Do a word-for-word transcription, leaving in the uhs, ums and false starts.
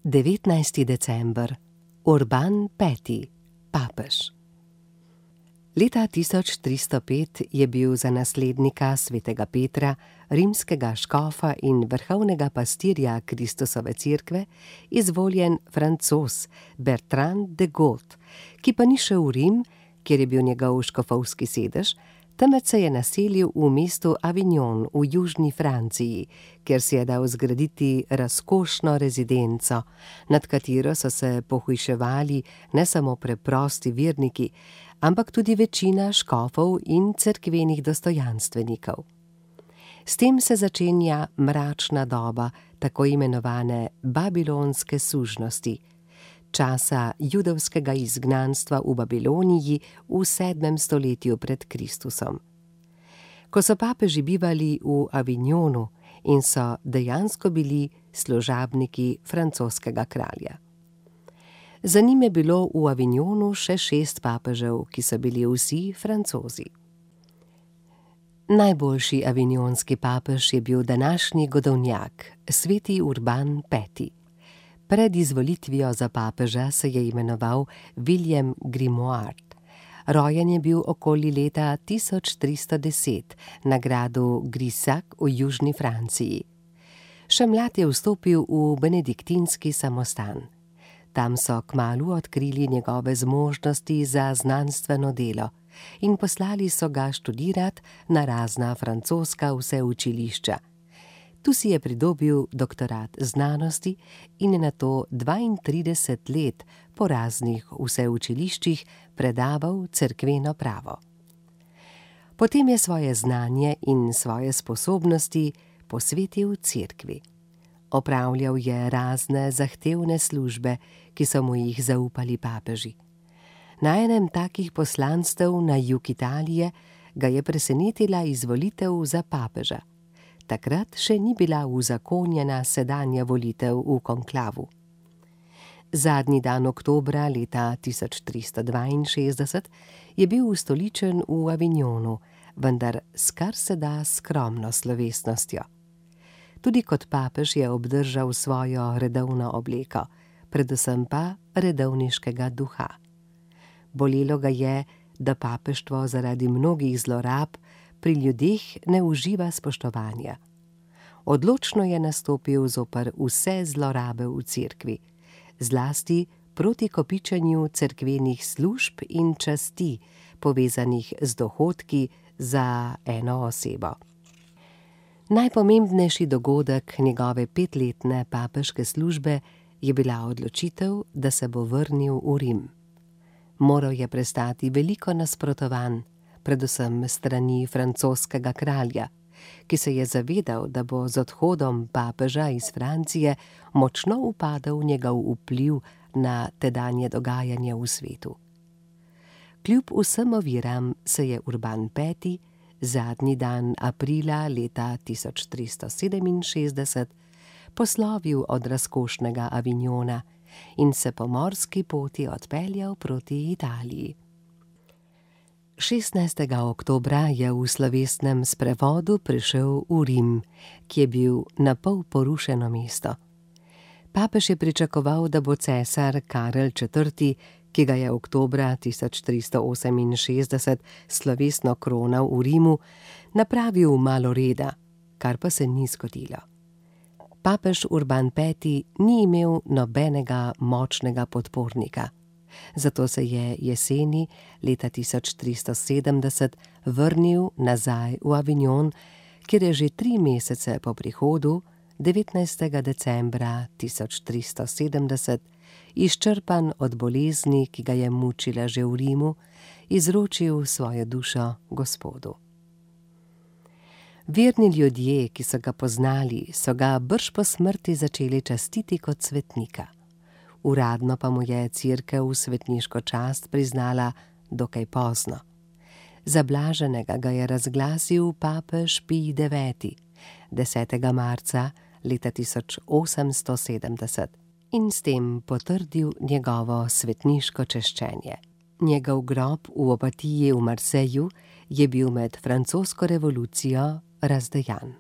devetnajsti december, Urban peti, papež. Leta tisoč tristo pet je bil za naslednika svetega Petra, rimskega škofa in vrhovnega pastirja Kristusove cerkve, izvoljen Francoz Bertrand de Got, ki pa ni šel v Rim, kjer je bil njegov škofovski sedež, temveč se je naselil v mestu Avignon v južni Franciji, kjer si je dal zgraditi razkošno rezidenco, nad katero so se pohujševali ne samo preprosti verniki, ampak tudi večina škofov in cerkvenih dostojanstvenikov. S tem se začenja mračna doba tako imenovane babilonske sužnosti, časa judovskega izgnanstva v Babiloniji v sedmem stoletju pred Kristusom. Ko so papeži bivali v Avignonu in so dejansko bili služabniki francoskega kralja. Za njim je bilo v Avignonu še šest papežev, ki so bili vsi Francozi. Najboljši avignonski papež je bil današnji godovnjak, sveti Urban peti. Pred izvolitvijo za papeža se je imenoval William Grimoald. Rojen je bil okoli leta tisoč tristo deset na gradu Grisac v južni Franciji. Še mlad je vstopil v benediktinski samostan. Tam so kmalu odkrili njegove zmožnosti za znanstveno delo in poslali so ga študirat na razna francoska vseučilišča. Tu si je pridobil doktorat znanosti in je nato dvaintrideset let po raznih vseučiliščih predaval cerkveno pravo. Potem je svoje znanje in svoje sposobnosti posvetil cerkvi. Opravljal je razne zahtevne službe, ki so mu jih zaupali papeži. Na enem takih poslanstev na jug Italije ga je presenetila izvolitev za papeža. Takrat še ni bila uzakonjena sedanja volitev v konklavu. Zadnji dan oktobra leta tisoč tristo dvainšestdeset je bil ustoličen v Avignonu, vendar s kar se da skromno slovesnostjo. Tudi kot papež je obdržal svojo redovno obleko, predvsem pa redovniškega duha. Bolelo ga je, da papeštvo zaradi mnogih zlorab pri ljudeh ne uživa spoštovanja. Odločno je nastopil zoper vse zlorabe v cerkvi, zlasti proti kopičenju cerkvenih služb in časti, povezanih z dohodki za eno osebo. Najpomembnejši dogodek njegove petletne papeške službe je bila odločitev, da se bo vrnil v Rim. Moral je prestati veliko nasprotovanj, predvsem strani francoskega kralja, ki se je zavedal, da bo z odhodom papeža iz Francije močno upadal njegov vpliv na tedanje dogajanje v svetu. Kljub vsem oviram se je Urban peti zadnji dan aprila leta tisoč tristo sedeminšestdeset poslovil od razkošnega Avignona in se po morski poti odpeljal proti Italiji. šestnajstega oktobra je v slovesnem sprevodu prišel v Rim, ki je bil na pol porušeno mesto. Papež je pričakoval, da bo cesar Karel četrti, ki ga je oktobra tisoč tristo oseminšestdeset slovesno kronal v Rimu, napravil malo reda, kar pa se ni zgodilo. Papež Urban peti ni imel nobenega močnega podpornika. Zato se je jeseni leta tisoč tristo sedemdeset vrnil nazaj v Avignon, kjer je že tri mesece po prihodu, devetnajstega decembra tisoč tristo sedemdeset, izčrpan od bolezni, ki ga je mučila že v Rimu, izročil svojo dušo Gospodu. Verni ljudje, ki so ga poznali, so ga brž po smrti začeli častiti kot svetnika. Uradno pa mu je cerkev svetniško čast priznala dokaj pozno. Za blaženega ga je razglasil papež Pij deveti, desetega marca leta tisoč osemsto sedemdeset in s tem potrdil njegovo svetniško češčenje. Njegov grob v Opatiji v Marseju je bil med francosko revolucijo razdejan.